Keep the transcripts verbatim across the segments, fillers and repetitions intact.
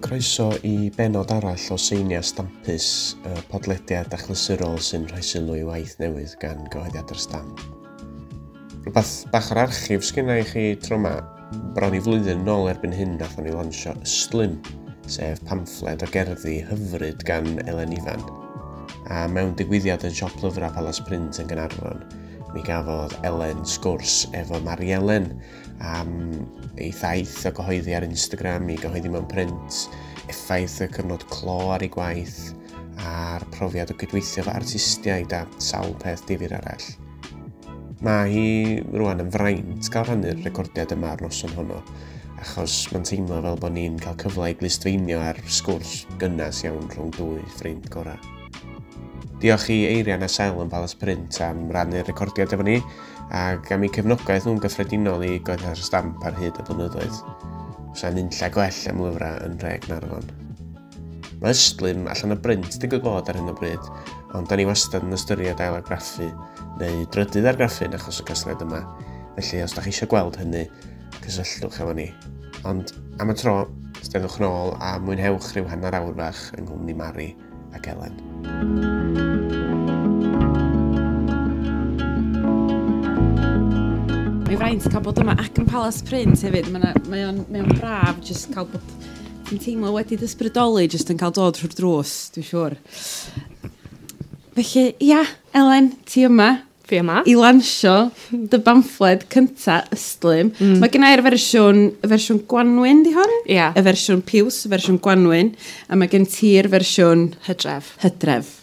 Croeso i benod arall o Seiniau Stampus, y podlediad achlysurol sy'n rhoi sylw i waith newydd gan Gyhoeddiadau'r Stamp. Rhywbeth bach o'r archif sgynna i chi tro yma, bron i flwyddyn nôl erbyn hyn nathon ni lansio Ystlum, sef pamffled o gerddi hyfryd gan Elen Ifan. A mewn digwyddiad yn siop lyfrau Palas Print yn Gaernarfon, mi gafodd Elen sgwrs efo Mari Elen am ei thaith o gyhoeddi ar Instagram i gyhoeddi mewn print, effaith y cyfnod clo ar ei gwaith, a'r profiad o gydweithio efo artistiaid a sawl peth difyr arall. Mae hi rwan yn fraint gael rhannu'r recordiad yma ar noson honno, achos mae'n teimlo fel bod ni'n cael cyfle i glustfeinio ar sgwrs gynnas iawn rhwng dwy ffrind gorau. Diolch i Eirian a Sel yn Palas Print am rannu'r recordiad efo ni, ac am eu cefnogaeth nhw'n gyffredinol i Gyhoeddiadau'r Stamp ar hyd y blynyddoedd. Sa'n unlla gwell am lyfrau yn nhre Gaernarfon. Mae Ystlum allan o brint digwydd bod ar hyn o bryd, ond da ni wastad yn ystyried ailargraffu neu drydydd argraffu yn achos y casgliad yma. Felly os da chi eisiau gweld hynny, cysylltwch efo ni. Ond am y tro, steddwch nôl a mwynhewch rhyw hanner awr fach yng nghwmni Mari ac Elen. Mae'n fraint cael bod yma ac yn Palas Print hefyd. Mae mae o'n mae o'n braf jyst cael bod... Ti'n teimlo wedi ysbrydoli jyst yn cael dod trwy'r drws, dwi'n siŵr. Felly, ia, Elen, ti yma. Fi yma. I lansio dy bamffled cynta Ystlum. Mm. Mae gen i'r fersiwn, y fersiwn Gwanwyn, di hon? Ia. Yeah. Y fersiwn Piws, y fersiwn Gwanwyn. A mae gen ti'r fersiwn Hydref. Hydref.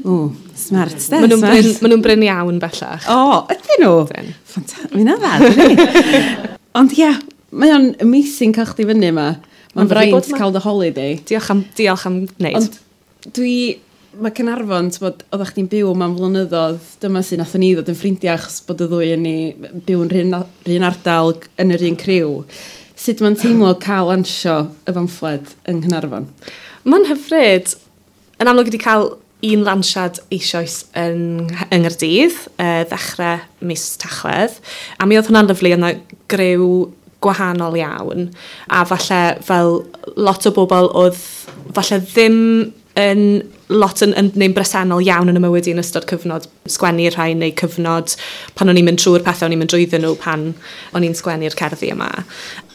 O, smart, de, Maen nhw'n brin, ma nhw'n brin iawn bellach. O, ydyn nhw? Ydyn. Ffantastig, mae'n dda, dydi? Ond ia, mae o'n amazing cael chdi fyny yma. Mae'n fraint cael dy holiday. Diolch am, diolch am wneud. Ond dwi, mae Caernarfon, t'bod, oeddech chdi'n byw yma'n flynyddoedd, dyma sy'n nathon ni ddod yn ffrindiau achos bod y ddwy yn ni byw yn rhan, rhan ardal yn yr un criw. Sut mae'n teimlo cael lansio y pamffled yng Nghaernarfon? Mae'n hyfryd. Yn amlwg wedi cael un lansiad eisoes yn, yng Nghaerdydd, uh, ddechrau mis Tachwedd. A mi oedd hwnna'n lyfli, yna griw gwahanol iawn. A falle fel lot o bobl oedd falle ddim yn lot yn, yn, neu'n bresennol iawn yn y mywyd i yn ystod cyfnod sgwennu'r rhai neu cyfnod pan o'n i'n mynd trwy'r pethau o'n i'n mynd drwyddyn nhw pan o'n i'n sgwennu'r cerddi yma.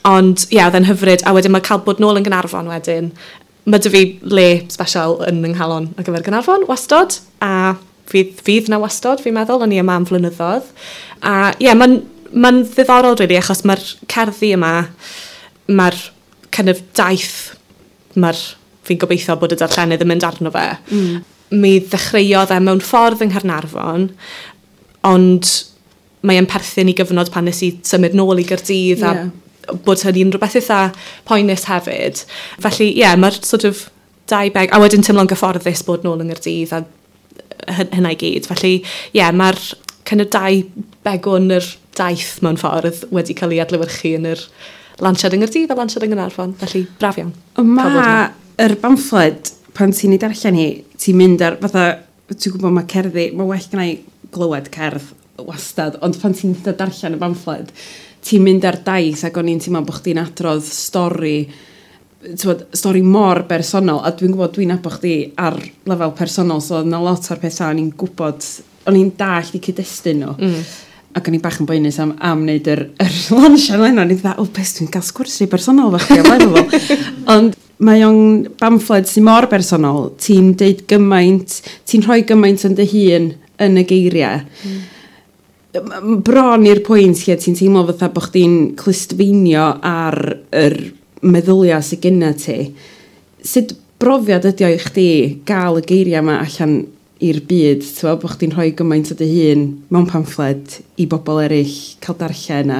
Ond ie, yeah, oedd e'n hyfryd. A wedyn mae cael bod nôl yn Gaernarfon wedyn. Mae dy fi le special yn yng nghalon ar gyfer Gaernarfon, wastod, a fydd, fydd na wastod, fi'n meddwl, o'n i yma am flynyddoedd. A ie, yeah, mae'n ma ddiddorol, really, achos mae'r cerddi yma, mae'r kind of daith, mae'r, fi'n gobeithio bod y darllenydd yn mynd arno fe. Mm. Mi ddechreuodd e mewn ffordd yng Nghaernarfon, ond mae e'n perthyn i gyfnod pan nes i symud nôl i Gaerdydd yeah. a bod hynny'n rhywbeth eitha poenus hefyd. Felly, ie, yeah, mae'r sort of dau beg... A wedyn teimlo'n gyfforddus bod nôl yng Nghaerdydd a hynna i gyd. Felly, ie, yeah, mae'r kind of dau begwn yr daith mewn ffordd wedi cael ei adlewyrchu yn yr lansiad yng Nghaerdydd a lansiad yng Nghaernarfon. Felly, braf iawn. Mae yr bamffled, pan ti'n ei darllen hi, ti'n mynd ar, fatha, ti'n gwybod mae cerddi, mae well gynna i glywed cerdd wastad, ond pan ti'n darllen y bamffled, ti'n mynd ar daith ac o'n i'n teimlo bod chdi'n adrodd stori, t'wod, stori mor bersonol, a dwi'n gwybod dwi'n nabod chdi ar lefel personol, so oedd 'na lot o'r pethau o'n i'n gwybod, o'n i'n dallt i cyd-destun nhw. Mm. Ac o'n i'n bach yn boenus am, am wneud yr, yr lansiad yna, o'n i'n dweud, o, beth dwi'n cael sgwrs rhy bersonol efo chdi, o blaen fo. Ond mae o'n bamffled sy'n mor bersonol, ti'n deud gymaint, ti'n rhoi gymaint yn dy hun yn y geiriau. Mm. Bron i'r pwynt lle ti'n teimlo fatha bod chdi'n clustfeinio ar yr meddyliau sydd genna ti. Sut brofiad ydi o i chdi gael y geiriau yma allan i'r byd, ti'n bod chdi'n rhoi gymaint o dy hun mewn pamffled i bobl eraill cael darllen a,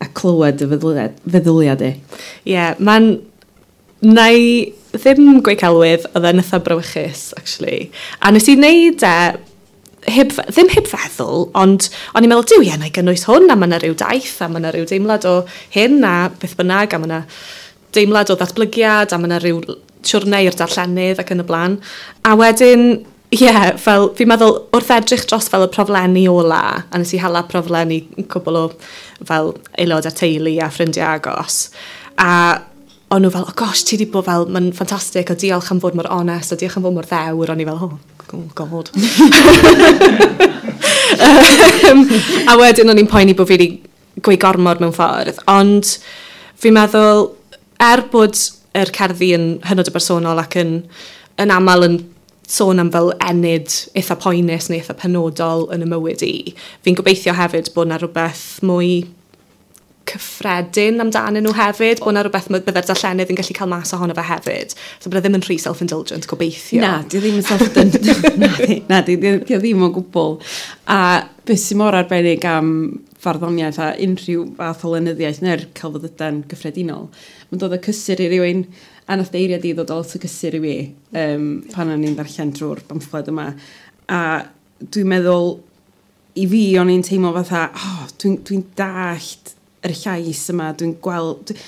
a clywed y feddyliad, feddyliad di? Ie, yeah, mae'n... Na i ddim gweud celwydd, oedd e'n eitha brawychus, actually. A nes i wneud e, heb, ddim heb feddwl, ond o'n i'n meddwl, diw, ie, na i gynnwys hwn, a mae yna rhyw daith, a mae yna rhyw deimlad o hyn, a beth bynnag, a mae yna deimlad o ddatblygiad, a mae yna rhyw siwrne i'r darllenydd ac yn y blaen. A wedyn, ie, yeah, fel, fi'n meddwl, wrth edrych dros fel y proflenni ola, a nes i hala proflenni cwbl o fel aelodau teulu a ffrindiau agos, a O'n nhw fel, oh gosh, ti di bod fel, mae'n ffantastig, a diolch am fod mor onest, a diolch am fod mor ddewr. O'n i fel, oh, oh God. um, a wedyn o'n i'n poeni bod fi wedi gweud gormod mewn ffordd. Ond fi'n meddwl, er bod yr cerddi yn hynod o bersonol ac yn, yn aml yn sôn am fel ennyd eitha poenus neu eitha penodol yn y mywyd i, fi'n gobeithio hefyd bod yna rhywbeth mwy cyffredin amdanyn nhw hefyd, bod yna rhywbeth bydde'r darllenydd yn gallu cael mas ohono fe hefyd. So bod e ddim yn rhy self-indulgent, gobeithio. Na, di ddim yn self-indulgent. Na, di, na, di, di, di ddim o gwbl. A beth sy'n mor arbennig am farddoniaeth a unrhyw fath o lenyddiaeth neu'r celfyddydau'n gyffredinol, mae'n dod o cysur i rywun, a nath eiriau di ddod o lot o cysur i fi um, pan o'n i'n darllen drwy'r bamffled yma. A dwi'n meddwl, i fi o'n i'n teimlo fatha, oh, dwi'n dwi dallt yr llais yma, dwi'n gweld... Dwi,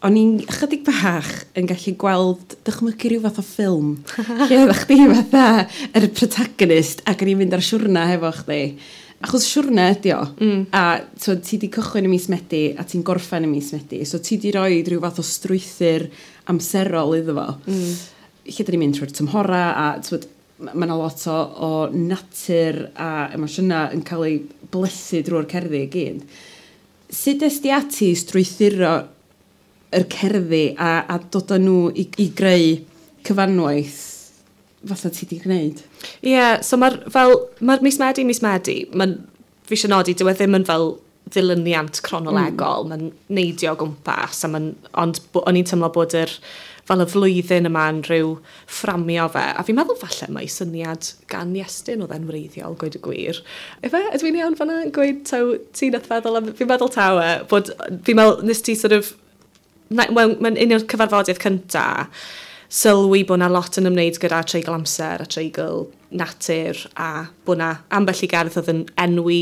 o'n i'n chydig bach yn gallu gweld dychmygu rhyw fath o ffilm. Lle oeddech chdi fatha yr protagonist ac o'n i'n mynd ar siwrna hefo chdi. Achos siwrna ydi o. Mm. A so, ti di cychwyn y mis Medi a ti'n gorffen y mis Medi. So ti di roi rhyw fath o strwythur amserol iddo fo. Mm. Lle dyn ni'n mynd trwy'r tymhora a twyd, mae yna lot o, o natur a emosiynau yn cael ei blethu drwy'r cerddi i gyd. Sut es di ati strwythuro yr cerddi a, a dod â nhw i, i greu cyfanwaith fatha ti di gwneud? Ie, yeah, so mae'r fel, mae'r mis Medi, mis Medi, mae'n, fi eisiau nodi, dyw e ddim yn fel ddilyniant cronolegol, mm. mae'n neidio o gwmpas, a ma'n, ond o'n i'n teimlo bod yr, fel y flwyddyn yma'n rhyw fframio fe. A fi'n meddwl falle mai syniad gan Iestyn oedd e'n wreiddiol, gweud y gwir. Efe, ydw i'n iawn fan'na? Gweud taw, ti nath feddwl am, fi'n meddwl taw e, bod, fi'n meddwl, nes ti sort of, wel, mae'n un o'r cyfarfodydd cynta, sylwi bod 'na lot yn ymwneud gyda treigl amser a treigl natur a bod 'na ambell i gerdd oedd yn enwi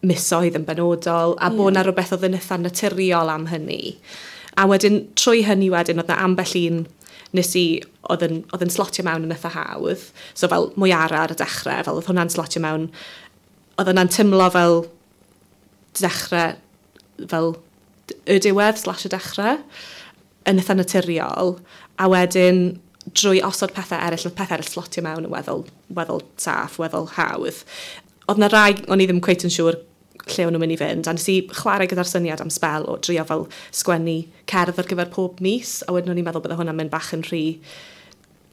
misoedd yn benodol a yeah. bod 'na rhywbeth oedd yn eitha naturiol am hynny. A wedyn, trwy hynny wedyn, oedd 'na ambell un nes i oedd yn, oedd yn slotio mewn yn eitha hawdd. So fel mwyara ar y dechrau, fel oedd hwnna'n slotio mewn, oedd hwnna'n tymlo fel dechrau, fel y diwedd slash y dechrau, yn eitha naturiol. A wedyn, drwy osod pethau eraill, oedd pethau eraill slotio mewn yn weddol, weddol saff, weddol hawdd. Oedd 'na rai, o'n i ddim cweit yn siŵr lle o'n nhw'n mynd i fynd, a nes i chwarae gyda'r syniad am sbel o drio fel sgwennu cerdd ar gyfer pob mis, a wedyn o'n i'n meddwl bydde hwnna'n mynd bach yn rhy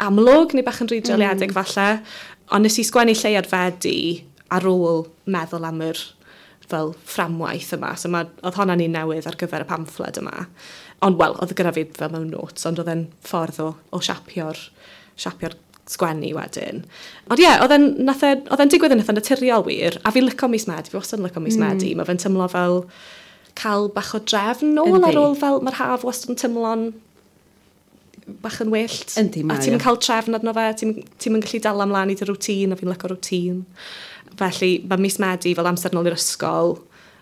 amlwg, neu bach yn rhy dreuliedig mm. falle. Ond nes i sgwennu Lleuad Fedi ar ôl meddwl am yr fel fframwaith yma. So ma, oedd hwnna'n un newydd ar gyfer y pamffled yma. Ond, wel, oedd gyda fi fel mewn notes, ond oedd e'n ffordd o, o siapio'r, siapio'r sgwennu wedyn. Ond ie, yeah, oedd e'n e, digwydd yn eitha naturiol wir, a fi'n licio mis Medi, fi wastad yn licio mis mm. Medi. Mae fe'n tymlo fel cael bach o drefn nôl ar ôl fel mae'r haf wastad yn tymlo'n bach yn wyllt. Yndi, mae. A ti'n cael trefn arno fe, ti'n ti gallu dal ymlaen i dy routine, a fi'n licio routine. Felly mae mis Medi fel amser nôl i'r ysgol,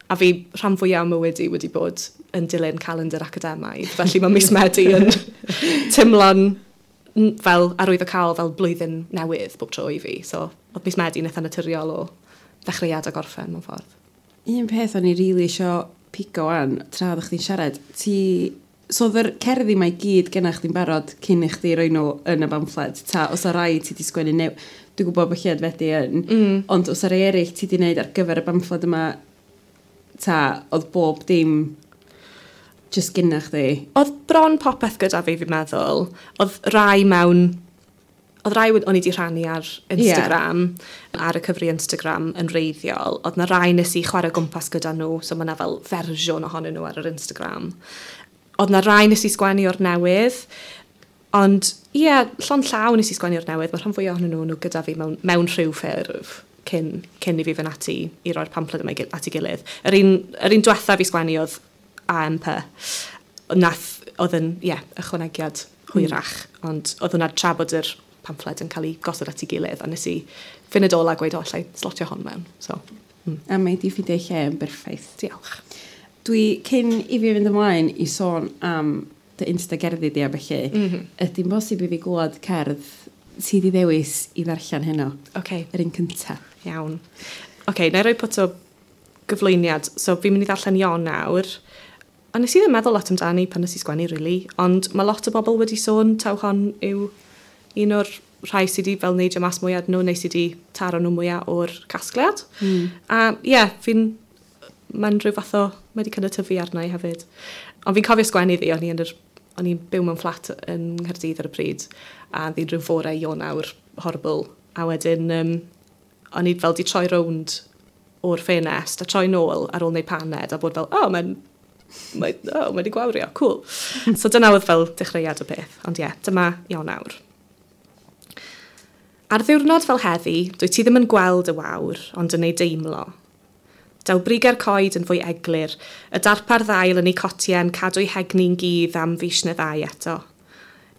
a fi rhan fwyaf o mywyd i wedi bod yn dilyn calendar academaidd. Felly mae mis Medi yn teimlo'n fel arwyddocaol fel blwyddyn newydd bob tro i fi. So oedd mis Medi yn eitha naturiol o ddechreuad a gorffen mewn ffordd. Un peth o'n i rili really isio pigo wan, tra oeddech chdi'n siarad, ti... So oedd yr cerddi mae gyd genna chdi'n barod cyn i chdi roi nhw yn y bamffled, ta os o rai ti di sgwennu new... Dwi'n gwybod bod Lleuad Fedi yn, mm. ond os o rai eraill ti di wneud ar gyfer y bamffled yma, ta oedd bob dim just gynna chdi? Oedd bron popeth gyda fi, fi'n meddwl. Oedd rai mewn... Oedd rai o'n i wedi rhannu ar Instagram, yeah. ar y cyfri Instagram yn wreiddiol. Oedd na rai nes i chwarae gwmpas gyda nhw, so mae yna fel fersiwn ohonyn nhw ar yr Instagram. Oedd na rai nes i sgwennu o'r newydd, ond ie, yeah, llond llaw nes i sgwennu o'r newydd. Mae rhan fwyaf ohonyn nhw, nhw gyda fi mewn, mewn rhyw ffurf cyn, cyn i fi fynd ati i roi'r pamffled yma at ei gilydd. Yr un, yr un diwetha fi sgwennu oedd A M P. Nath, oedd yn, ie, yeah, ychwanegiad hwyrach, mm. ond oedd hwnna tra bod yr pamffled yn cael ei gosod at ei gilydd, a nes i funud ola gweud, o, allai slotio hon mewn. So, mm. A mae di ffeindio lle yn berffaith. Diolch. Dwi, cyn i fi fynd ymlaen i sôn am dy Insta gerddi di a felly, mm -hmm. ydy'n bosib i fi glwad cerdd ti di ddewis i ddarllen heno? Okay. Yr un cynta. Iawn. Oce, okay, na i roi pwt o gyflwyniad. So, fi'n mynd i ddarllen Ionawr. A nes i ddim meddwl lot amdani pan nes i sgwennu, really, ond mae lot o bobl wedi sôn taw hon yw un o'r rhai sydd wedi fel neidio mas mwyaf nhw, neu sydd wedi taro nhw mwyaf o'r casgliad. Mm. A ie, yeah, fi'n... Mae'n rhyw fath o... Mae wedi kind of tyfu arna i hefyd. Ond fi'n cofio sgwennu ddi, o'n i yn yr, o'n i'n byw mewn fflat yn Nghaerdydd ar y pryd, a ddi'n rhyw fore Ionawr horrible. A wedyn, um, o'n i fel di troi rownd o'r ffenest a troi nôl ar ôl wneud paned a bod fel, oh, mae'n mae, oh, mae wedi gwawrio, cool. So dyna oedd fel dechreuad y peth. Ond ie, yeah, dyma Ionawr. Ar ddiwrnod fel heddi, dwi ti ddim yn gweld y wawr, ond yn ei deimlo. Daw brigau'r coed yn fwy eglur, y darpar ddail yn ei cotiau'n cadw'i hegni'n gudd am fis neu ddau eto.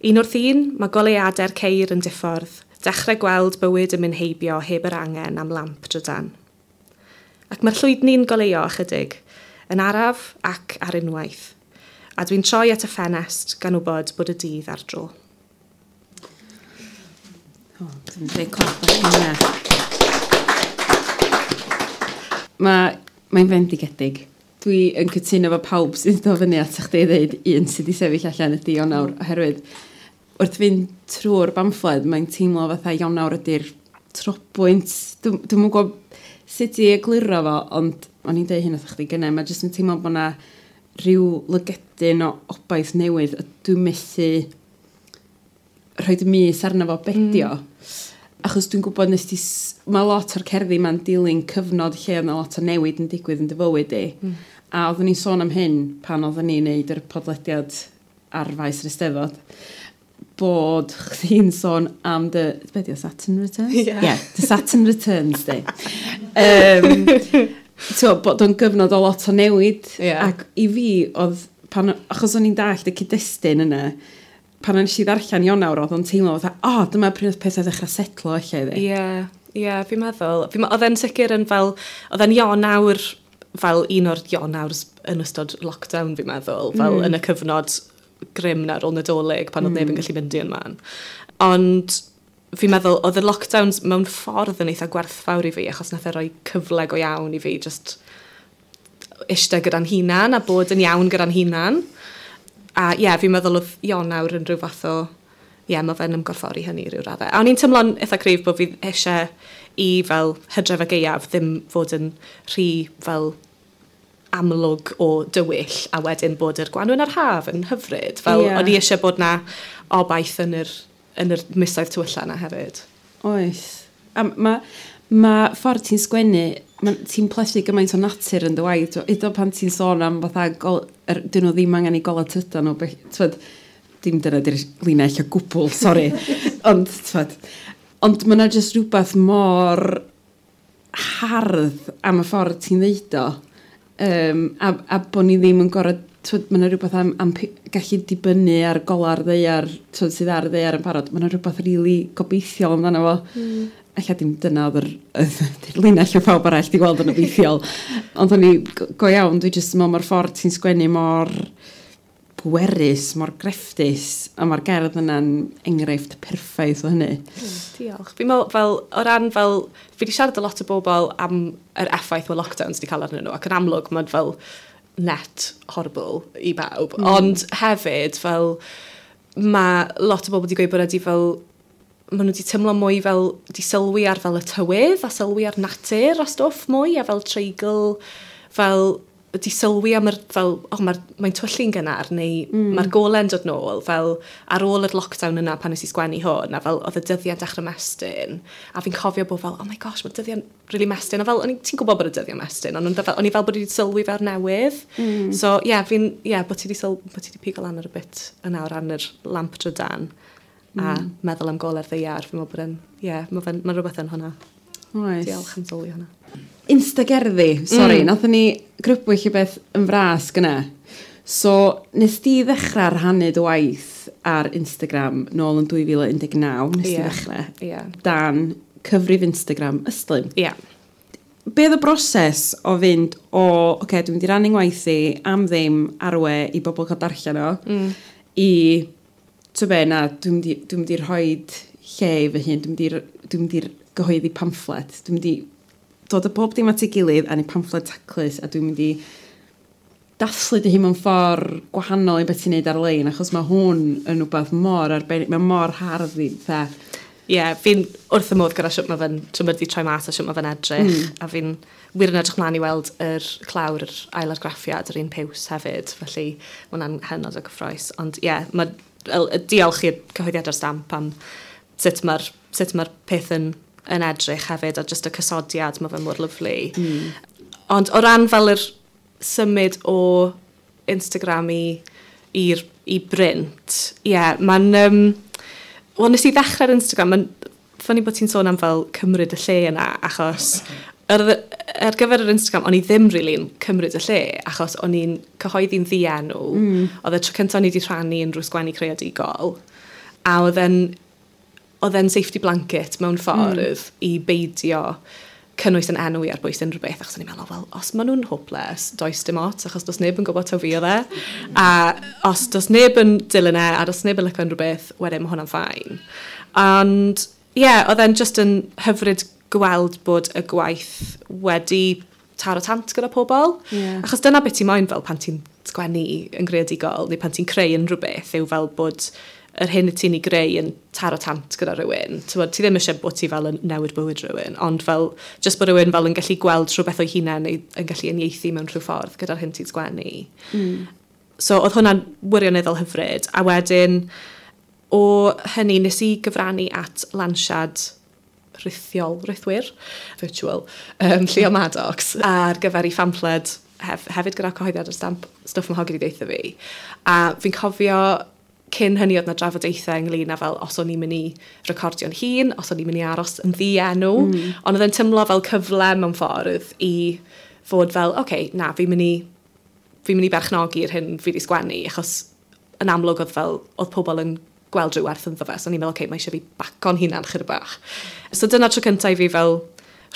Un wrth un, mae goleuadau'r ceir yn diffordd, dechrau gweld bywyd yn mynd heibio heb yr angen am lamp drydan. Ac mae'r llwydni'n goleuo ychydig, yn araf ac ar unwaith. A dwi'n troi at y ffenest gan wybod bod y dydd ar dro. O, dwi'n dweud clap ar hynna. Mae, mae'n fendigedig. Dwi yn cytuno efo pawb sydd yn dod fyny at chdi i ddeud un sydd wedi sefyll allan ydy Ionawr, oherwydd wrth fynd trwy'r bamffled, mae'n teimlo fatha Ionawr ydy'r trobwynt. Dwi'm yn gwybod sut i egluro fo, ond o'n i'n deud hyn wrth chdi gynnau, mae jyst yn teimlo bod yna rhyw lygedyn o obaith newydd, a dwi'n methu rhoi y mys arno fo bedio. Mm. Achos dwi'n gwybod nes ti... Mae lot o'r cerddi ma'n dilyn cyfnod lle oedd 'na lot o newid yn digwydd yn dy fywyd di. Mm. A oeddwn ni'n sôn am hyn pan oeddwn ni'n neud yr podlediad ar faes yr Eisteddfod, bod chdi'n sôn am dy... Be di o, Saturn Returns? Yeah. Yeah, the Saturn Returns, di. Um, so, bod o'n gyfnod o lot o newid. Yeah. Ac i fi, oedd... Pan, achos o'n i'n dallt y cyd-destun yna, pan nes i ddarllen Ionawr, oedd o'n teimlo fatha, o, oh, dyma pryd oedd pethau ddechrau setlo ella iddi. Ie, yeah, ie, yeah, fi'n meddwl. Fi, oedd e'n sicr yn fel, oedd e'n Ionawr, fel un o'r Ionawrs yn ystod lockdown, fi'n meddwl, fel mm. yn y cyfnod grim na ar ôl Nadolig, pan oedd mm. neb yn gallu mynd i yn man. Ond fi'n meddwl, oedd y lockdowns mewn ffordd yn eitha gwerthfawr i fi, achos nath e roi cyfle go iawn i fi, just eistedd gyda'n hunan a bod yn iawn gyda'n hunan. A ie, yeah, fi'n meddwl oedd Ionawr yn rhyw fath o, ie, yeah, mae fe'n ymgorffori hynny rhyw raddau. A o'n i'n teimlo'n eitha cryf bod fi eisiau i fel hydref a gaeaf ddim fod yn rhy fel amlwg o dywyll a wedyn bod yr gwanwyn a'r haf yn hyfryd. Fel yeah. O'n i eisiau bod na obaith yn yr, yn yr misoedd tywylla na hefyd. Oes. A mae ma ffordd ti'n sgwennu, ti'n plethu gymaint o natur yn dy waith. Hyd pan ti'n sôn am fatha, gol, er, dyn nhw ddim angen i gola tydan nhw. T'wod, dim dyna di'r linell o gwbl, sori. Ond, t'wod, ond mae yna jyst rhywbeth mor hardd am y ffordd ti'n ddeud o. Um, a, a bod ni ddim yn gorfod, t'wod, mae yna rhywbeth am, am gallu dibynnu ar gola'r ddaear, t'wod, sydd ar y ddaear yn barod. Mae yna rhywbeth rili really gobeithiol amdano fo. Mm. Ella dim dyna oedd yr, yr linell o pawb arall di gweld yn obeithiol. Ond o'n i, go iawn, dwi jyst yn meddwl mae'r ffordd ti'n sgwennu mor bwerus, mor grefftus, a mae'r gerdd yna'n enghraifft perffaith o hynny. Mm, diolch. Fi'n meddwl, fel, o ran fel, fi wedi siarad â lot o bobl am yr effaith mae lockdowns wedi cael arnyn nhw, ac yn amlwg mae'n fel net horrible i bawb. Mm. Ond hefyd, fel, mae lot o bobl wedi gweud bod wedi fel, maen nhw wedi teimlo mwy fel, wedi sylwi ar fel y tywydd a sylwi ar natur a stwff mwy a fel treigl, fel wedi sylwi am yr, fel, oh, mae'r, mae'n twyllu'n gynnar neu mm. mae'r gole'n dod nôl, fel ar ôl yr lockdown yna pan nes i sgwennu hwn, a fel oedd y dyddiau'n dechrau mestyn, a fi'n cofio bod fel, oh my gosh, mae'r dyddiau'n really mestyn, a fel, o'n i, ti'n gwybod bod y dyddiau'n mestyn, ond o'n i fel bod wedi sylwi fel newydd. Mm. So, ie, yeah, fi'n, ie, yeah, bod ti wedi syl, bod ti wedi pigo lan ar y bit yna o ran yr lamp drydan, a mm. meddwl am gole'r ddaear, fi'n meddwl bod yn, ie, yeah, mae ma rhywbeth yn hwnna. Oes. Diolch am sylwi hwnna. Instagerddi, sori, mm. nathon ni grybwyll i beth yn fras gyna. So, nes di ddechrau rhannu dy waith ar Instagram nôl yn dwy fil un deg naw, nes yeah. di ddechrau, yeah. dan cyfrif Instagram Ystlum. Ie. Yeah. Be oedd y broses o fynd o, oce, okay, dwi'n mynd i rannu ngwaith i am ddim ar y we i bobl cael darllen o, mm. i, ti'n be, na, dwi'n mynd i, dwi'n mynd i rhoi lle i fy hun, dwi'n mynd i, dwi'n mynd i gyhoeddi pamfflet, dwi'n mynd i dod â bob dim at ei gilydd a neud pamffled taclus a dwi'n mynd i dathlu dy hun mewn ffordd gwahanol i beth ti'n neud ar-lein, achos mae hwn yn rhywbeth mor arbennig, mae mor hardd i, fatha. Ie, yeah, fi'n wrth y modd gyda siwt mae fe'n, siwt mae wedi troi mas a siwt mae fe'n edrych. Mm. A fi'n wir yn edrych mlaen i weld yr clawr, yr ailargraffiad, yr un piws hefyd. Felly mae hwnna'n hynod o gyffrous. Ond ie, yeah, mae, diolch i'r cyhoeddiad ar Stamp am sut mae'r sut mae'r peth yn, yn edrych hefyd, a just y cysodiad, mae fe mor lyfli. Mm. Ond o ran fel yr symud o Instagram i, i'r, i brint, ie, yeah, mae'n... Um, Wel, nes i ddechrau'r Instagram, mae'n funny bod ti'n sôn am fel cymryd y lle yna, achos ar, ar gyfer yr Instagram, o'n i ddim really'n cymryd y lle, achos o'n i'n cyhoeddi'n ddienw. Mm. Oedd y tro cyntaf o'n i wedi rhannu unrhyw sgwennu creadigol, a oedd e'n oedd e'n safety blanket mewn ffordd mm. i beidio cynnwys yn enw i ar bwys unrhyw beth, achos o'n i'n meddwl, wel, os maen nhw'n hopeless, does dim ots, achos does neb yn gwybod taw fi oedd e. A os does neb yn dilyn e, a does neb yn licio unrhyw beth, wedyn mae hwnna'n fine. Ond, ie, yeah, oedd e'n just yn hyfryd gweld bod y gwaith wedi taro tant gyda pobl. Yeah. Achos dyna beth ti'n moyn fel pan ti'n sgwennu yn greadigol, neu pan ti'n creu unrhyw beth, yw fel bod yr hyn ti'n ei greu yn taro tant gyda rhywun. T'wod, ti ddim eisiau bod ti fel yn newid bywyd rhywun, ond fel, just bod rhywun fel yn gallu gweld rhywbeth o'i hunain neu yn gallu uniaethu mewn rhyw ffordd gyda'r hyn ti'n sgwennu. Mm. So oedd hwnna'n wirioneddol hyfryd. A wedyn, o hynny, nes i gyfrannu at lansiad rithiol, rithwyr, virtual, um, Llio Maddox, ar gyfer ei phamffled hef, hefyd gyda cyhoeddiad ar Stamp, stwff mae hogi 'di ddeutha fi. A fi'n cofio cyn hynny oedd na drafodaethau ynglyn â fel os o'n i'n mynd i recordio'n hun, os o'n i'n mynd i aros yn ddienw. Mm. Ond oedd e'n teimlo fel cyfle mewn ffordd i fod fel, oce, okay, na, fi'n mynd i, fi'n mynd i berchnogi'r hyn fi wedi sgwennu, achos yn amlwg oedd fel, oedd pobl yn gweld rhyw werth ynddo fe, so o'n i'n meddwl, oce, okay, mae eisiau fi baco'n hunan chydig bach. So dyna tro cyntaf i fi fel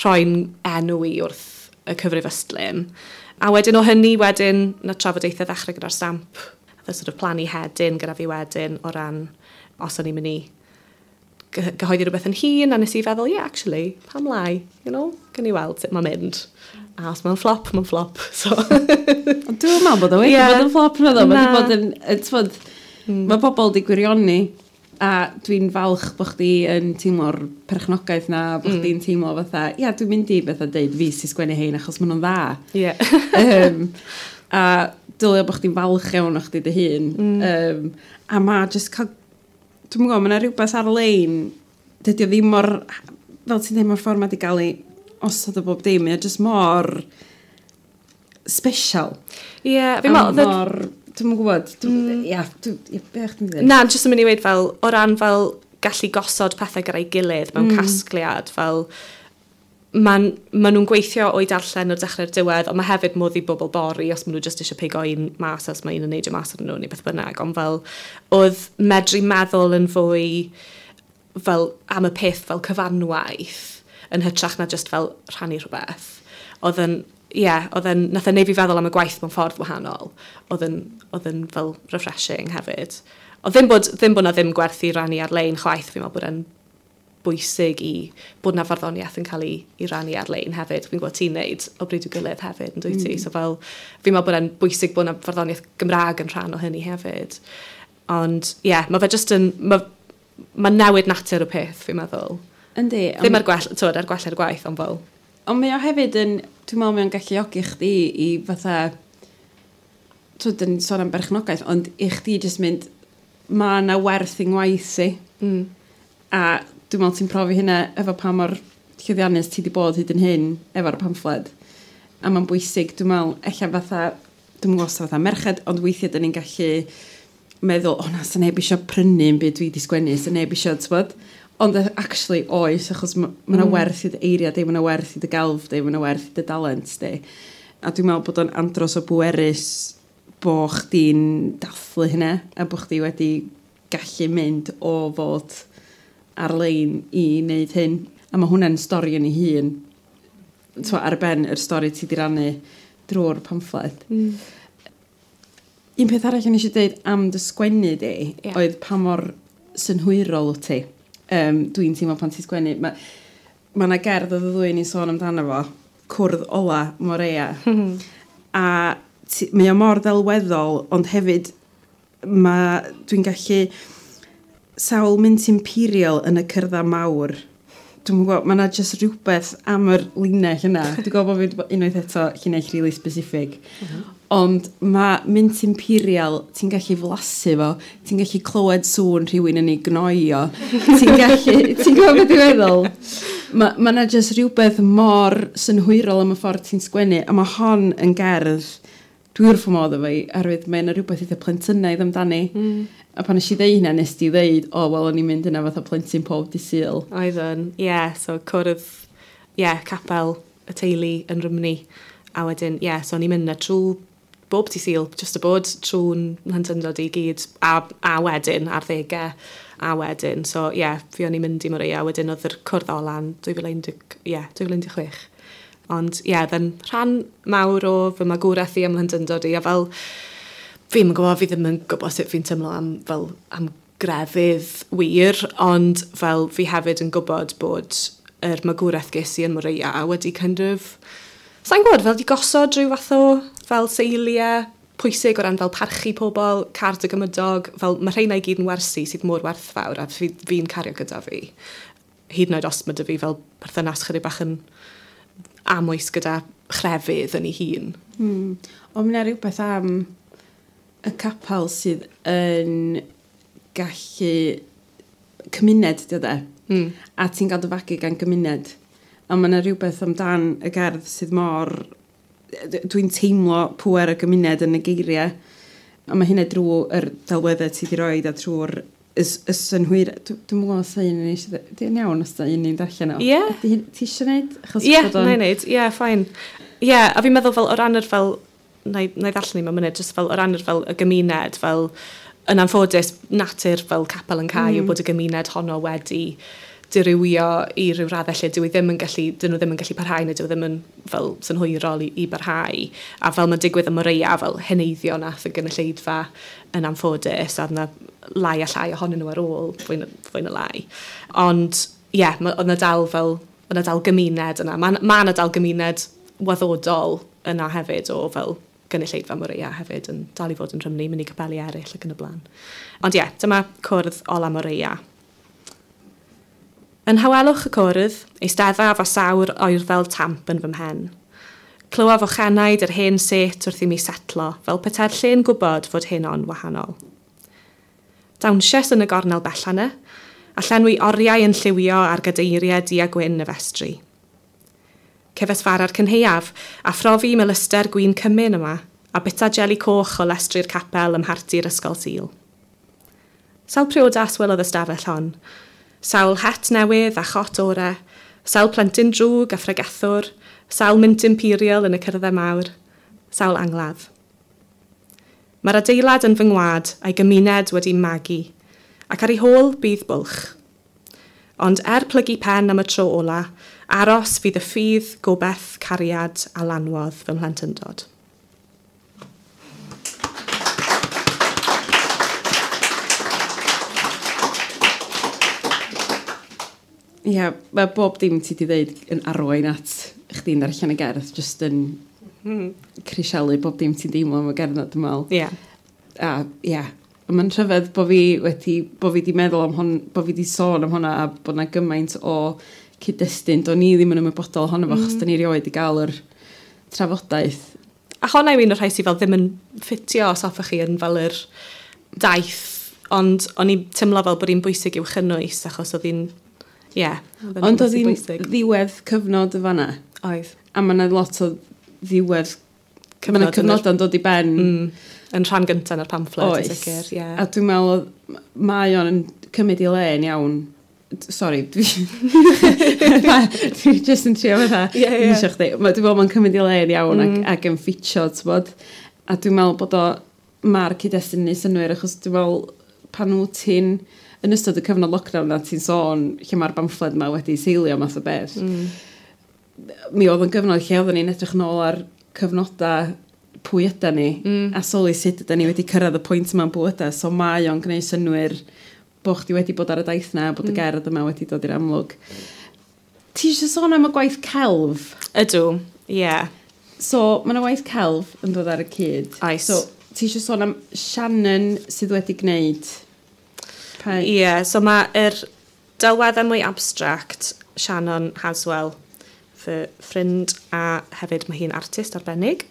rhoi'n enw i wrth y cyfrif ystlum. A wedyn o hynny, wedyn, na trafodaethau ddechrau gyda'r Stamp, the sort of plannu hedyn gyda fi wedyn o ran os o'n i'n mynd i gyhoeddi rhywbeth yn hun, a nes i feddwl, yeah, actually, pam lai, you know, gan i weld sut mae'n mynd. A os mae'n flop, mae'n flop. So. Ond dwi'n meddwl bod o wedi yeah. bod yn flop, na ddo. Mae wedi bod yn, t'mod, mm. mae pobl wedi gwirioni, a dwi'n falch bod chdi yn teimlo'r perchnogaeth na, bod Mm. chdi'n teimlo fatha, ia, dwi'n mynd i fatha deud fi sy'n sgwennu hein achos maen nhw'n dda. Yeah. um, a dylio bod chdi'n falch iawn o chdi dy hun. Mm. Um, a ma just cael, dwi'n gwybod, mae yna rhywbeth ar-lein, dydy o ddim mor, fel ti'n dweud, mae'r ffordd mae wedi cael ei osod o bob dim, mae o just mor special. Ie, yeah, fi'n A meddwl... the- mor, dwi'n gwybod, mm. ia, dwi, ia, be o'ch ti'n dweud? Na, jyst yn mynd i weud fel, o ran fel gallu gosod pethau gyda'i gilydd mewn mm. casgliad, fel ma'n, ma nhw'n gweithio o'i darllen o'r dechrau'r diwedd, ond mae hefyd modd i bobl bori os maen nhw jyst eisiau pigo un mas, os mae un yn neidio mas arnyn nhw neu beth bynnag, ond fel oedd medru meddwl yn fwy fel am y peth fel cyfanwaith yn hytrach na just fel rhannu rhywbeth. Oedd yn, ie, yeah, oedd yn, nath e neud fi feddwl am y gwaith mewn ffordd wahanol. Oedd yn, oedd yn fel refreshing hefyd. Oedd ddim bod, ddim bod na ddim gwerth i rannu ar-lein chwaith, fi'n meddwl bod e'n bwysig i bod na farddoniaeth yn cael ei, ei rannu ar-lein hefyd. Fi'n gwybod ti'n neud o bryd i'w gilydd hefyd, yn dwyt ti? Mm. So fel, fi'n meddwl bod e'n bwysig bod na farddoniaeth Gymraeg yn rhan o hynny hefyd. Ond, ie, yeah, mae fe jyst yn... Mae ma newid natur y peth, fi'n meddwl. Yndi. Ddim ar gwell, twyd, ar gwella'r gwaith, ond fel... Ond mae o hefyd yn, dwi'n meddwl mae o'n galluogi chdi i fatha, twyd, yn sôn am berchnogaeth, ond i chdi jyst mynd, mae yna werth yng ngwaith i. Mm. A dwi'n meddwl ti'n profi hynna efo pa mor llwyddiannus ti wedi bod hyd yn hyn efo'r pamffled. A mae'n bwysig, dwi'n meddwl, ella fatha, dwi'n gwybod os fatha merched, ond weithiau dyn ni'n gallu meddwl, o na, sa neb eisiau prynu yn byd dwi wedi sgwennu, sa neb eisiau, t'bod? Ond actually oes, achos ma' ma' 'na Mm. werth i dy eiriau di, ma' 'na werth i dy gelf di, ma' 'na werth i dy dalent di. A dwi'n meddwl bod o'n andros o bwerus bo chdi'n dathlu hynna, a bo chdi wedi gallu mynd o fod ar-lein i wneud hyn. A mae hwnna'n stori yn ei hun, t'mo, ar ben yr stori ti 'di rannu drwy'r pamffled. Mm. Un peth arall o'n i eisiau dweud am dy sgwennu di, Ie. oedd pa mor synhwyrol wyt ti. Um, dwi'n teimlo pan ti'n sgwennu. Mae ma 'na gerdd oedd y ddwy ni'n sôn amdano fo, Cwrdd Ola Morea. A Mae o mor ddelweddol, ond hefyd ma, dwi'n gallu sawl mint imperial yn y cyrddau mawr. Dwi'n gwybod, mae yna just rhywbeth am yr linell yna. Dwi'n gwybod bod fi unwaith eto llinell really specific. Mm -hmm. Ond mae mint imperial, ti'n gallu flasu fo, ti'n gallu clywed sŵn rhywun yn ei gnoio, ti'n gallu, ti'n gwybod beth dwi'n meddwl? Mae ma yna just rhywbeth mor synhwyrol am y ffordd ti'n sgwennu, a mae hon yn gerdd, dwi wrth fy modd efo hi, oherwydd mae yna rhywbeth eitha plentynaidd amdani. Mm. A pan nes i ddeud hynna, nes di ddeud, o, oh, wel, o'n i'n mynd yna fatha plentyn pob dydd Sul. Oeddwn, ie, yeah, so cwrdd, ie, yeah, capel y teulu yn Rhymni. A wedyn, ie, yeah, so o'n i'n mynd yna trwy bob dydd Sul, just y bod trwy'n mhlentyndod i gyd, a, a wedyn, ar ddegau, a wedyn. So, ie, yeah, fi o'n i'n mynd i Moreia, wedyn oedd yr cwrdd ola'n dwy fil un deg chwech. Ond, ie, yeah, dden rhan mawr o fy magwraeth i am mhlentyndod i, a fel, fi'n gwybod, fi ddim yn gwybod sut fi'n teimlo am, fel, am grefydd wir, ond fel fi hefyd yn gwybod bod yr magwraeth ges i yn Moreia wedi kind of, sa'n gwybod, fel di gosod rhyw fath o fel seiliau pwysig o ran fel parchu pobl, car dy gymydog, fel mae rheina i gyd yn wersi sydd mor werthfawr a fi'n fi cario gyda fi. Hyd yn oed os mae dy fi fel perthynas chydig bach yn amwys gyda chrefydd yn ei hun. Hmm. Ond mae yna rhywbeth am y capel sydd yn gallu cymuned, di o de? Mm. A ti'n cael dy fagu gan gymuned. A mae yna rhywbeth amdan y gerdd sydd mor... Dwi'n teimlo pŵer y gymuned yn y geiriau. A mae hynna drwy'r delweddau ti wedi roed a trwy'r y, y synhwyr. Dwi'n gwybod os un yn eisiau... Di'n iawn os da un ni'n darllen o. Ie. Yeah. Ti eisiau gwneud? Ie, yeah, na i wneud. Ie, yeah, fine. Ie, yeah, a fi'n meddwl fel o ran yr fel... Na i, na i ddarllen i mewn munud, jyst fel o ran yr fel y gymuned, fel yn anffodus, natur fel capel yn cau mm. yw bod y gymuned honno wedi dirywio i ryw raddau lle dyw i ddim yn gallu, dyn nhw ddim yn gallu parhau neu dyw ddim yn fel synhwyrol i, i barhau. A fel mae'n digwydd ym Moreia, fel heneiddio nath y gynulleidfa yn anffodus, a yna lai a llai ohonyn nhw ar ôl, fwy na, fwy na lai. Ond, ie, yeah, oedd yna dal fel, oedd yna dal gymuned yna. Mae ma yna dal gymuned waddodol yna hefyd o fel gynulleidfa Moreia hefyd yn dal i fod yn Rhymni, mynd i capeli eraill ac yn y blaen. Ond ie, yeah, dyma cwrdd ola Moreia. Yn hawelwch y cwrdd, eisteddaf a sawr oerfel tamp yn fy mhen. Clywaf ochenaid yr hen set wrth i mi setlo, fel petai'r lle'n gwybod fod hyn o'n wahanol. Dawnsies yn y gornel bellana, a llenwi oriau yn lliwio ar gadeiriau du a gwyn y festri. Cefais fara'r cynhaeaf, a phrofi melyster gwin cymun yma, a bita jeli coch o lestri'r capel ym mharti'r ysgol Sul. Sawl priodas welodd y stafell hon, sawl het newydd a chot ore, sawl plentyn drwg a phregethwr, sawl mint imperial yn y cyrddau mawr, sawl angladd. Mae'r adeilad yn fy ngwad a'i gymuned wedi magu, ac ar ei hôl bydd bwlch. Ond er plygu pen am y tro ola, aros fydd y ffydd, gobeith, cariad a lanwodd fy mhlentyndod. Ie, yeah, mae bob dim ti wedi dweud yn arwain at chdi'n darllen y gerdd, just yn mm. crisialu bob dim ti'n deimlo am y gerdd na, dwi'n meddwl. Ie. Yeah. A, ie. Yeah. Mae'n rhyfedd bod fi wedi, bod fi wedi meddwl am hon, bod fi wedi sôn am hwnna a bod na gymaint o cyd-destun. Do'n ni ddim yn ymwybodol ohono fo, mm. achos da ni erioed wedi gael yr trafodaeth. A honna yw un o'r rhai sydd fel ddim yn ffitio os hoffech chi yn fel yr daith, ond o'n i'n teimlo fel bod hi'n bwysig i'w chynnwys, achos oedd hi'n... Ie. Yeah, ond oedd hi'n ddiwedd cyfnod y fanna. Oedd. A mae yna lot o ddiwedd... Mae yna cyfnodau'n dod i ben. Mm, yn rhan gyntaf yn yr pamffled, oes. Yn sicr. Yeah. A dwi'n meddwl, mae o'n cymryd i le yn iawn. Sorry, dwi, dwi just yn trio fatha. Yeah, yeah. Chdi. Dwi'n meddwl mae'n cymryd i le yn iawn mm. ac, ac yn ffitio, t'bod. A dwi'n meddwl bod o, mae'r cyd-destun yn neud synnwyr, achos dwi'n meddwl pan wyt ti'n yn ystod y cyfnod lockdown na ti'n sôn lle mae'r bamffled yma wedi seilio math o beth. Mm. Mi oedd yn gyfnod lle oedden ni'n edrych nôl ar cyfnodau pwy yda ni, mm. a sylwi sut yda ni wedi cyrraedd y pwynt yma'n bywydau, so mae o'n gwneud synnwyr bod chdi wedi bod ar y daith na, bod y mm. gerdd yma wedi dod i'r amlwg. Ti eisiau sôn am y gwaith celf? Ydw, ie. Yeah. So, mae yna waith celf yn dod ar y cyd. Oes. So, ti eisiau sôn am Shannon sydd wedi gwneud? Ie, yeah, so mae'r delweddau mwy abstract, Shannon Haswell, fy ffrind, a hefyd mae hi'n artist arbennig.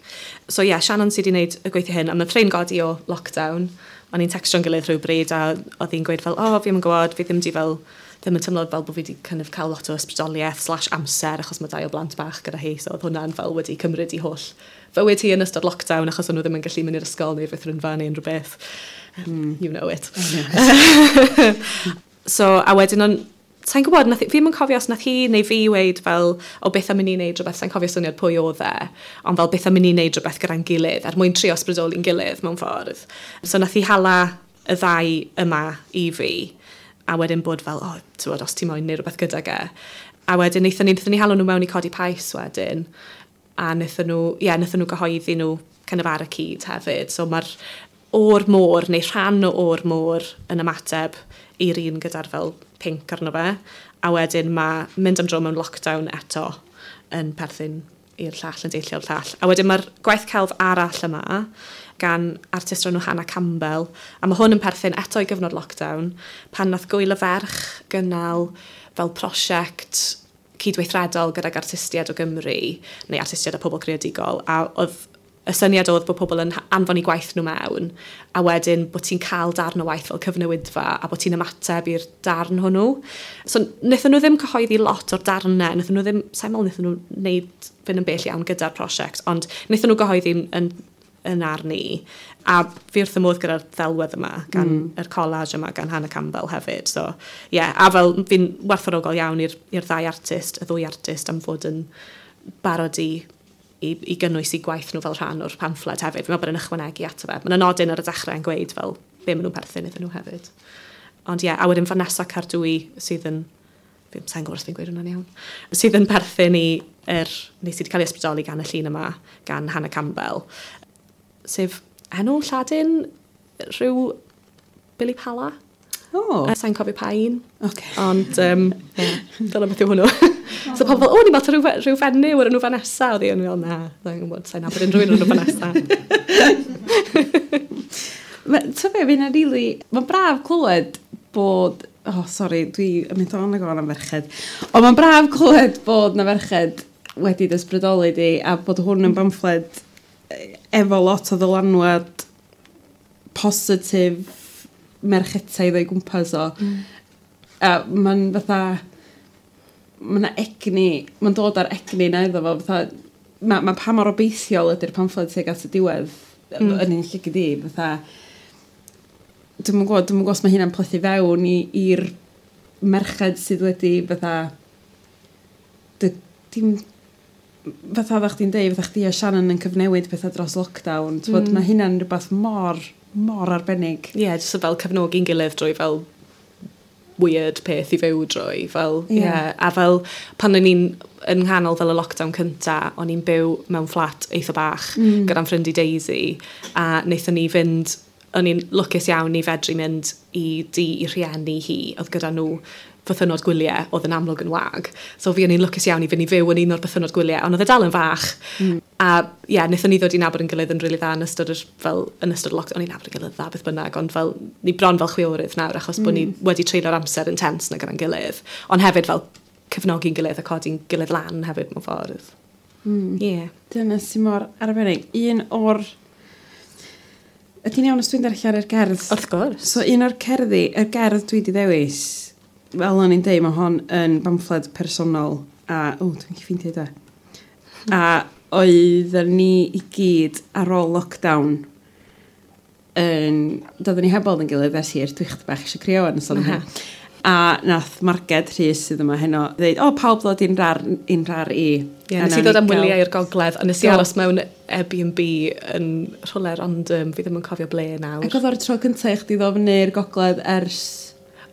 So ie, yeah, Shannon sydd wedi gwneud y gweithio hyn, a mae ffrind godi o lockdown. O'n i'n textio'n gilydd rhywbryd a oedd hi'n gweud fel, o, oh, fi ddim yn gwybod, fi ddim di fel, ddim yn teimlo fel bod fi wedi kind of cael lot o ysbrydoliaeth slash amser achos mae dau o blant bach gyda hi, so oedd hwnna'n fel wedi cymryd i holl fywyd hi yn ystod lockdown achos o'n nhw ddim yn gallu mynd i'r ysgol neu'r feithrinfa neu unrhyw beth. Mm. You know it. I know it. So, a wedyn o'n, sa'n gwybod, nath, fi ddim yn cofio os nath hi neu fi weud fel, o beth am i ni wneud rhywbeth, sa'n cofio syniad pwy oedd e, ond fel beth am i ni wneud rhywbeth gyda'n gilydd, er mwyn trio ysbrydoli'n gilydd mewn ffordd. So nath hi hala y ddau yma i fi, a wedyn bod fel, o, oh, ti'n os ti moyn neud rhywbeth gydag e. A wedyn wnaethon ni, wnaethon ni hala nhw mewn i Codi Pais wedyn, a wnaethon nhw, ie, yeah, wnaethon nhw gyhoeddi nhw kind of ar y cyd hefyd. So mae'r o'r môr, neu rhan o o'r môr yn ymateb i'r un gyda'r fel pinc arno fe. A wedyn mae mynd am dro mewn lockdown eto yn perthyn i'r llall, yn deillio o'r llall. A wedyn mae'r gwaith celf arall yma gan artist o'r enw Hannah Campbell. A mae hwn yn perthyn eto i gyfnod lockdown, pan nath Gwyl y Ferch gynnal fel prosiect cydweithredol gydag artistiaid o Gymru, neu artistiaid a pobl creadigol, a oedd y syniad oedd bod pobl yn anfon eu gwaith nhw mewn, a wedyn bod ti'n cael darn o waith fel cyfnewidfa, a bod ti'n ymateb i'r darn hwnnw. So, wnaethon nhw ddim cyhoeddi lot o'r darnau, wnaethon nhw ddim, sa'n meddwl wnaethon nhw wneud fynd yn bell iawn gyda'r prosiect, ond wnaethon nhw gyhoeddi yn, yn arni. A fi wrth y modd gyda'r ddelwedd yma, gan mm. yr collage yma, gan Hannah Campbell hefyd. So, yeah, a fel fi'n werthfawrogol iawn i'r i'r ddau artist, y ddwy artist am fod yn barod i i, i gynnwys eu gwaith nhw fel rhan o'r pamffled hefyd. Fi'n meddwl bod yn ychwanegu ato fe. Mae'n nodyn ar y dechrau yn gweud fel be maen nhw'n perthyn iddyn nhw hefyd. Ond ie, yeah, a wedyn Vanessa Cardwy sydd yn, fi'n sa'n gwybod os fi'n gweud hwnna'n iawn, sydd yn perthyn i, er, neu sydd wedi cael ei ysbrydoli gan y llun yma, gan Hannah Campbell, sef enw Lladin rhyw Billy Pala. Oh. Sa'n cofio pa un. Okay. Ond, um, yeah, dyna beth yw hwnnw. So pobl fel, o, ni'n meddwl rhyw, rhyw fenyw o'r enw Vanessa. Oedd hi yn fel, na, sa'n gwybod, sa'n nabod unrhyw un o'r enw Vanessa. Ti'n be, fi'n rili... Mae'n braf clywed bod... Oh, sori, dwi yn mynd on ag on am ferched. Ond mae'n braf clywed bod na ferched wedi ysbrydoli di a bod hwn yn bamffled efo lot o ddylanwad positif merchetaidd o'i gwmpas o. Mm. A mae'n fatha... Mae 'na egni, mae'n dod ar egni na iddo fo, fatha, mae ma pa mor obeithiol ydy'r pamffled tuag at y diwedd Mm. yn un llygad i, fatha, dwi'm yn gwybod, dwi'm yn gwybod os mae hynna'n plethu fewn i- i'r merched sydd wedi fatha, dy, dim, fatha oeddach chdi'n deud, fatha chdi a Shannon yn cyfnewid pethau dros lockdown, mm. Mm. Mae hynna'n rhywbeth mor, mor arbennig. Ie, yeah, jyst fel cefnogi'n gilydd drwy fel weird peth i fyw drwy. Fel, Ie. yeah. A fel pan o'n i'n yn nghanol fel y lockdown cynta, o'n i'n byw mewn fflat eitha bach Mm. gyda'n ffrind i Daisy, a wnaethon ni fynd, o'n i'n lwcus iawn i fedru mynd i dŷ i rhieni hi, oedd gyda nhw bythynnod gwyliau, oedd yn amlwg yn wag. So fi o'n i'n lwcus iawn i fynd i fyw yn un o'r bythynnod gwyliau, ond oedd e dal yn fach. Mm. A ie, yeah, wnaethon ni ddod i nabod yn gilydd yn rili dda yn ystod yr, fel, yn ystod y lockdown. O'n i'n nabod yn gilydd dda beth bynnag, ond fel, ni bron fel chwiorydd nawr, achos mm. bod ni wedi treulio'r amser intense na gyda'n gilydd. Ond hefyd fel cefnogi'n gilydd a codi'n gilydd lan hefyd mewn ffordd. Mm. Ie. Yeah. Dyna sy'n mor arbennig. Un o'r... Ydy'n iawn os dwi'n darllen yr gerdd? Wrth gwrs. So un o'r cerddi, y gerdd dwi wedi ddewis, fel o'n i'n deud, mae hon yn bamffled personol, a, o, dwi'n ffeindio da. A oedden ni i gyd ar ôl lockdown yn, doedden ni heb weld yn gilydd ers hir, dwi chydig bach eisiau crio yn sôn am hyn. A nath Marged Rhys sydd yma heno ddeud, o, pawb ddod i'n rar, i'n rar i. Ie, A nes i nawn ddod am ni gael- wyliau i'r gogledd, a nes i Do. aros mewn Airbnb yn rhywle random, fi ddim yn cofio ble nawr. Ac oedd o'r tro cyntaf i chdi ddod fyny i'r gogledd ers,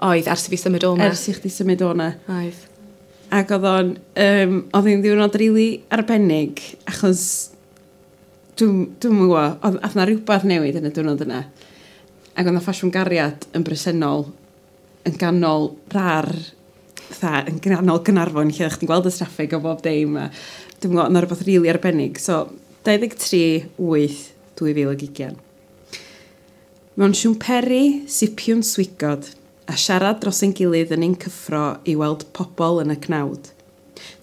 Oedd, ers i fi symud o 'ma. ers i chdi symud o 'na. Oedd. Ac oedd o'n, um, oedd hi'n ddiwrnod rili arbennig, achos dwi'n dwi'm yn gwybod, oedd ath 'na rhywbeth newid yn y diwrnod yna. Ac oedd 'na ffasiwn gariad yn bresennol yn ganol rar fatha, yn ganol Gaernarfon, lle oeddech chdi'n gweld y traffig o bob dim. A dwi'n gwybod, yna rhywbeth rili arbennig. So, dau ddeg tri wyth dwy fil ag ugain. Mewn siwmperi, sipiwn swigod, a siarad dros ein gilydd yn ein cyffro i weld pobl yn y cnawd.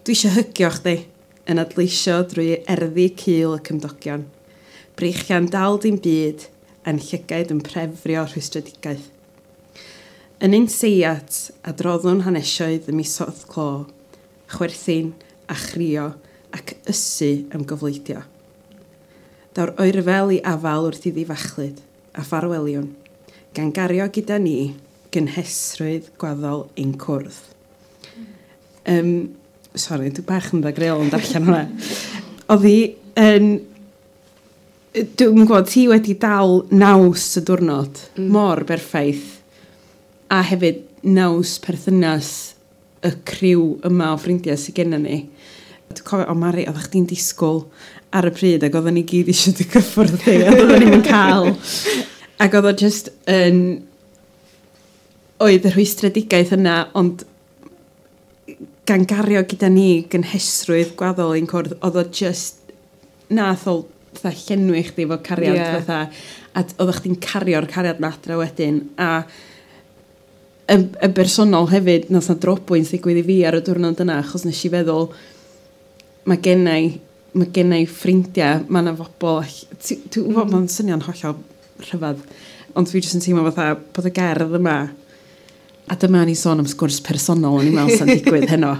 Dwi eisiau hygio chdi, yn adleisio drwy erddi cul y cymdogion. Breichiau'n dal dim byd, a'n llygaid yn prefrio rhwystredigaeth. Yn ein seiat, adroddwn hanesioedd y misoedd clo, chwerthin a chrio ac ysu am gyfleidio. Daw'r oerfel i afal wrth iddi fachlud a ffarweliwn, gan gario gyda ni gynhesrwydd gwaddol ein cwrdd. Um, sorry, dwi bach yn ddagreuol yn darllen hwnna. Oedd hi yn... Dwi'n gwybod, ti wedi dal naws y diwrnod, mm. mor berffaith, a hefyd naws perthynas y criw yma o ffrindiau sydd gennym ni. Dwi'n cofio, o Mari, oeddech chdi'n disgwyl ar y pryd ac oedden ni gyd eisiau dy gyffwrdd di, a oedden ni'n cael. Ac oedd o just yn... Oedd y rhwystredigaeth yna, ond gan gario gyda ni gynhesrwydd gwaddol ein cwrdd, oedd o just... Nath o fatha llenwi chdi efo cariad, yeah. fatha, a oeddech chdi'n cario'r cariad 'na adra wedyn, a y, y bersonol hefyd, nath na drobwynt ddigwydd i fi ar y diwrnod yna, achos nes i feddwl, mae gennai, mae gennai ffrindiau, mae yna bobl, ti'n gwybod, mm. mae'n swnio'n hollol rhyfedd, ond dwi jyst yn teimlo fatha bod y gerdd yma, a dyma ni sôn am sgwrs personol, o'n i'n meddwl sa'n digwydd heno.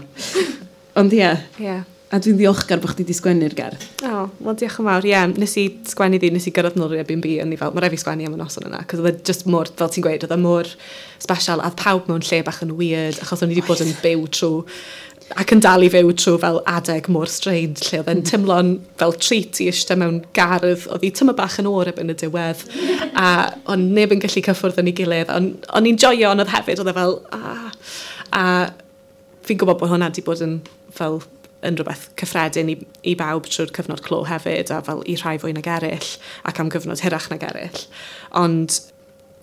Ond ie, yeah. A dwi'n ddiolchgar bod chdi wedi sgwennu'r gerdd. O, oh, wel diolch yn fawr. Ie, yeah, nes i sgwennu ddi, nes i gyrraedd nôl i'r Airbnb, a ni fel, mae rhaid fi sgwennu am y noson yna, cos oedd e just mor, fel ti'n gweud, oedd e mor special, a oedd pawb mewn lle bach yn weird, achos o'n i wedi bod yn byw trwy, ac yn dal i fyw trwy fel adeg mor strange, lle oedd e'n teimlo'n fel treat i eistedd mewn gardd, oedd hi tyma bach yn oer erbyn y diwedd, a o'n neb yn gallu cyffwrdd yn ei gilydd, ond o'n i'n joio, ond oedd hefyd, oedd e fel, ah, a fi'n gwybod bod hwnna wedi bod yn fel yn rhywbeth cyffredin i, i bawb trwy'r cyfnod clo hefyd, a fel i rhai fwy nag eraill, ac am gyfnod hirach nag eraill. Ond,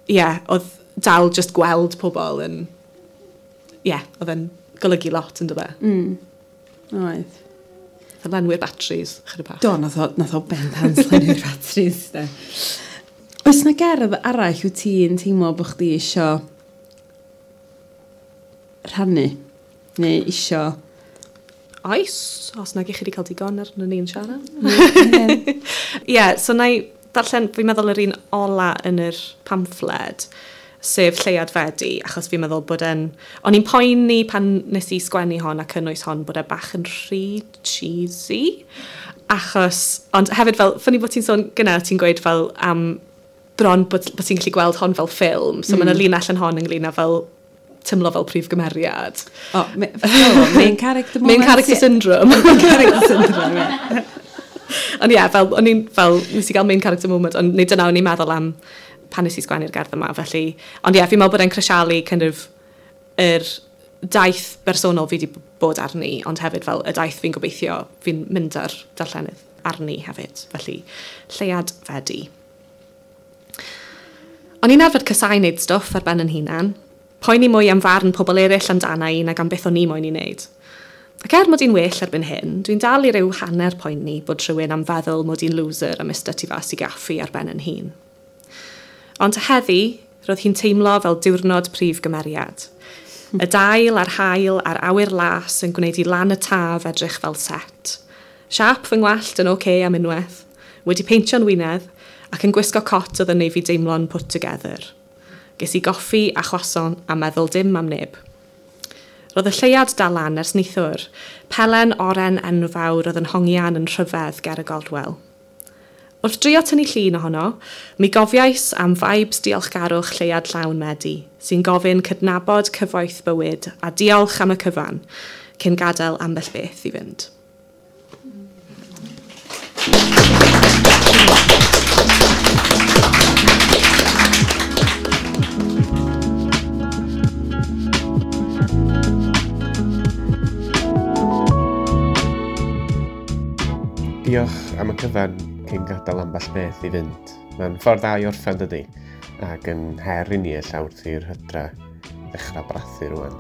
ie, yeah, oedd dal just gweld pobl yn, ie, yeah, oedd yn golygu lot yn dod. Mm. Oedd. Oedd lenwi'r batteries, chydig bach. Do, nath o, nath o bendant lenwi'r batteries, de. Oes na gerdd arall wyt ti'n teimlo bod chdi isio rhannu? Neu isio... Oes, os nag i chi wedi cael digon arno ni'n siarad. Ie, yeah, so na i darllen, fi'n meddwl yr un ola yn yr pamffled, sef Lleuad Fedi, achos fi'n meddwl bod e'n... O'n i'n poeni pan nes i sgwennu hon a cynnwys hon bod e bach yn rhy cheesy, achos... Ond hefyd fel, funny bod ti'n sôn gyna, ti'n gweud fel am bron bod, bod ti'n gallu gweld hon fel ffilm, so mm. mae yna linell yn hon ynglyn â fel teimlo fel prif gymeriad. O, oh, main character moment. Main character syndrome. Main character syndrome, ie. Ond ie, fel, o'n i'n, fel, nes i gael main character moment, ond neu dyna o'n i'n meddwl am pan nes i sgwennu'r gerdd yma, felly... Ond ie, fi'n meddwl bod e'n crisialu kind of yr daith bersonol fi wedi bod arni, ond hefyd fel y daith fi'n gobeithio fi'n mynd ar darllenydd arni hefyd. Felly, Lleuad Fedi. O'n i'n arfer casáu wneud stwff ar ben yn hunan. Poeni mwy am farn pobl eraill amdana i nag am beth o'n i moyn i wneud. Ac er mod i'n well erbyn hyn, dwi'n dal i ryw hanner poeni bod rhywun am feddwl mod i'n loser am ista tu fas i gaffi ar ben yn hun. Ond heddi, roedd hi'n teimlo fel diwrnod prif gymeriad. Y dail a'r haul a'r awyr las yn gwneud i lan y taf edrych fel set. Siap fy ngwallt yn oce am unwaith, wedi peintio'n wynedd ac yn gwisgo cot oedd yn neud fi deimlo'n put together. Ges i goffi a chroissant a meddwl dim am neb. Roedd y lleuad dal lan ers neithiwr, pelen oren enfawr oedd yn hongian yn rhyfedd ger y gorwel. Wrth drio tynnu llun ohono, mi gofiais am vibes diolchgarwch lleuad llawn Medi, sy'n gofyn cydnabod cyfoeth bywyd a diolch am y cyfan, cyn gadael ambell beth i fynd. Diolch am y cyfan cyn gadael ambell beth i fynd. Mae'n ffordd dda i orffen dydy, ac yn her i ni ella wrth i'r hydra ddechrau brathu rwan.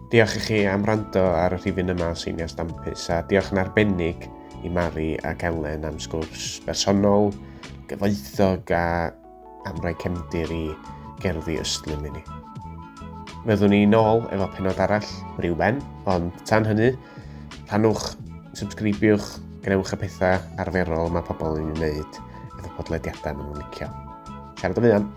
Diolch i chi am wrando ar y rhifyn yma o Seiniau Stampus a diolch yn arbennig i Mari ac Elen am sgwrs bersonol, gyfoethog a am roi cefndir i gerddi ystlum i ni. Fyddwn ni nôl efo pennod arall ryw ben, ond tan hynny, rhannwch, subscribiwch, gwnewch y pethau arferol mae pobl yn ei wneud efo podlediadau maen nhw'n licio. Siarad yn fuan.